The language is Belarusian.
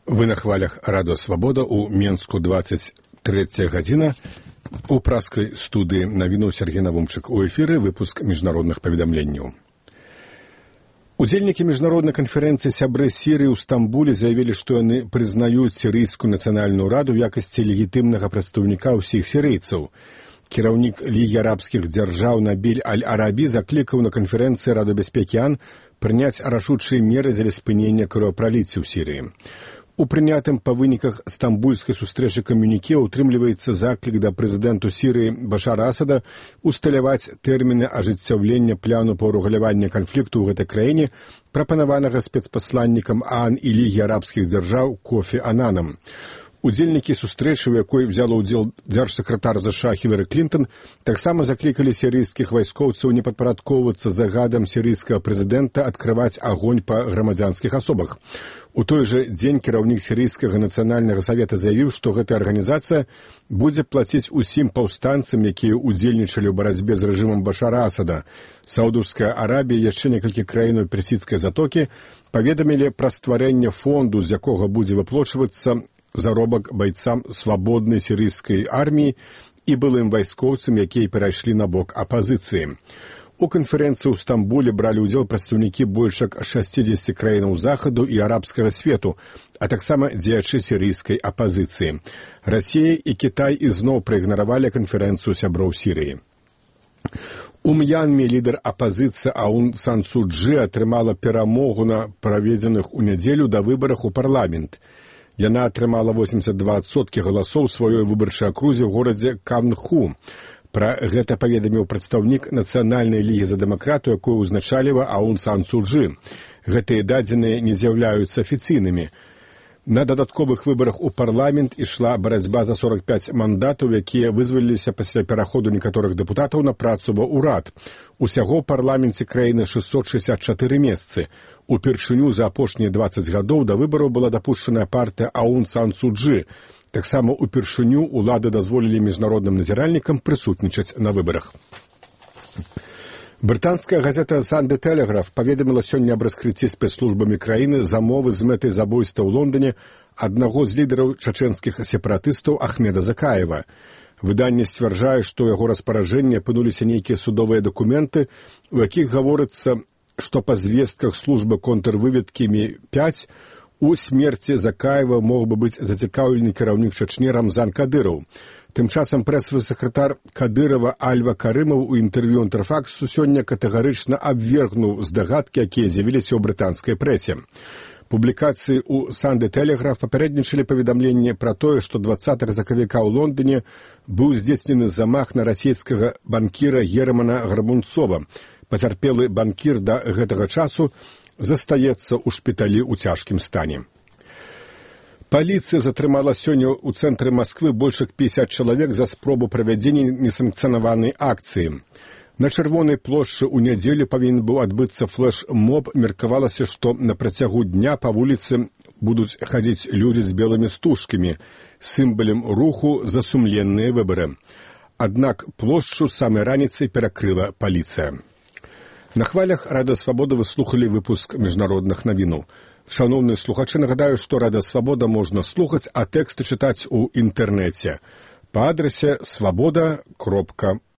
Вы на хвалях Радио Свобода у Менску 23 гадзіна. У праскай студыі навіну Сергей Навумчык. У эфіры выпуск міжнародных паведамленняў. Удзельнікі міжнароднай канферэнцыі сябры Сірыі ў Стамбуле заявілі, што яны прызнаюць Сірыйскую нацыянальную раду ў якасці легітымнага прадстаўніка ўсіх сірыйцаў. Кіраўнік Лігі арабскіх дзяржаў Набіль Аль-Арабі заклікаў на канферэнцыі Рады бяспекі ООН прыняць рашучыя меры дзеля спынення кровапраліцця ў Сірыі. У прынятым па выніках стамбульскай сустрэчы камюніке ўтрымліваецца заклік да прэзідэнту Сірыі Башара Асада усталяваць тэрміны ажыццяўлення плану па ўрэгуляванні канфлікту ў гэтай краіне, прапанаванага спецпасланнікам ООН і Лігі арабскіх дзяржаў Кофі Ананам. Удзельнікі сустрэчы, у якой взяла ўдзел дзяржсакратар США Хілары Клінтон, таксама заклікалі сірыйскіх вайскоўцаў не падпарадкоўвацца загадам сірыйскага прэзідэнта адкрываць агонь па грамадзянскіх асобах. У той жа дзень кіраўнік сірыйскага нацыянальнага савета заявіў, што гэтая арганізацыя будзе плаціць усім паўстанцам, якія ўдзельнічалі ў барацьбе з рэжымам Башара Асада. Саудаўская Арабія і яшчэ некалькі краінаў персідскай затокі паведамілі пра стварэнне фонду, з якога будзе выплачвацца заробак байцам свабоднай сірыйскай арміі і былым вайскоўцам, якія перайшлі на бок апазіцыі. У канферэнцыі ў Стамбуле бралі ўдзел прадстаўнікі больш як 60 краінаў захаду і арабскага свету, а таксама дзеячы сірыйскай апазіцыі. Расія і Кітай ізноў праігнаравалі канферэнцыю сяброў Сірыі. У М'янме лідар апазіцыі Аун Сан Су Чжы атрымала перамогу на праведзеных у нядзелю да выбарах у парламент. Яна атрымала 82% галасоў сваёй выбарчай акрузе ў горадзе Канху. Пра гэта паведаміў прадстаўнік Нацыянальнай лігі за дэмакратыю, якую ўзначаліва Аун Сан Су Чжы. Гэтыя дадзеныя не з'яўляюцца афіцыйнымі. На дадатковых выбарах у парламент ішла барацьба за 45 мандатаў, якія вызваліліся пасля пераходу некаторых дэпутатаў на працу ва ўрад. Усяго ў парламенце краіны 664 месцы. Упершыню за апошнія 20 гадоў да выбараў была дапушчаная партыя Аун Сан Су Чжы. Таксама упершыню улады дазволілі міжнародным назіральнікам прысутнічаць на выбарах. Брытанская газета «Санде Телеграф» паведаміла сёння аб раскрыцці спецслужбамі краіны замовы з мэтай забойства ў Лондоне аднаго з лідараў чачэнскіх сепаратыстаў Ахмеда Закаева. Выданне сцвярджае, што ў яго распараджэнні апынуліся нейкія судовыя дакументы, у якіх гаворыцца, што па звестках службы контрвыведкі МІ-5 у смерці Закаева мог бы быць зацікаўлены кіраўнік Чачні Рамзан Кадыраў. Тым часам прэс-сакратар Кадырова Альва Карымаў у інтэрв'ю «Інтэрфаксу» сёння катэгарычна абвергнуў здагадкі, якія з'явіліся ў брытанскай прэсе. Публікацыі ў «Санде Телеграф» папярэднічалі паведамленне пра тое, што 20 сакавіка ў Лондоне быў здзейснены замах на расійскага банкіра Германа Гарбунцова. Пацярпелы банкір да гэтага часу застаецца ў шпіталі ў цяжкім стане. Паліцыя затрымала сёння ў цэнтры Масквы больш як 50 чалавек за спробу правядзення несанкцыянаванай акцыі. На Чырвонай плошчы ў нядзелю павінен быў адбыцца флэш-моб. Меркавалася, што на працягу дня па вуліцы будуць хадзіць людзі з белымі стужкамі, сімвалам руху за сумленныя выбары. Аднак плошчу самай раніцай перакрыла паліцыя. На хвалях Радыё Свабода вы слухалі выпуск міжнародных навінаў. Шановныя слухачы, нагадаю, што Радыё Свабода можна слухаць, а тэксты чытаць у інтэрнэце па адрасе swaboda.org.